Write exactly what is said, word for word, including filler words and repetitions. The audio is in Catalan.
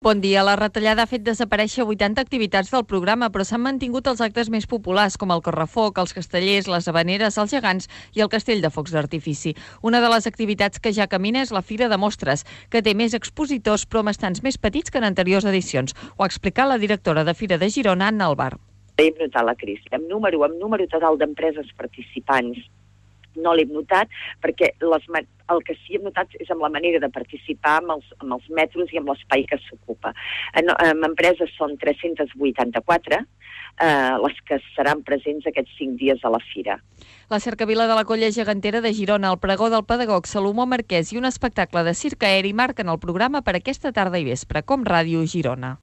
Bon dia. La retallada ha fet desaparèixer vuitanta activitats del programa, però s'han mantingut els actes més populars, com el correfoc, els castellers, les habaneres, els gegants i el castell de focs d'artifici. Una de les activitats que ja camina és la Fira de Mostres, que té més expositors però amb estants més petits que en anteriors edicions. Ho ha explicat la directora de Fira de Girona, Anna Albar. Hem notat la crisi. Amb número, amb número total d'empreses participants no l'hem notat, perquè les, el que sí hem notat és amb la manera de participar amb els, amb els metros i amb l'espai que s'ocupa. En, en empreses són tres-centes vuitanta-quatre eh, les que seran presents aquests cinc dies a la fira. La cercavila de la Colla Gegantera de Girona, el pregó del pedagog Salomó Marquès i un espectacle de circ aeri marquen el programa per aquesta tarda i vespre, com Ràdio Girona.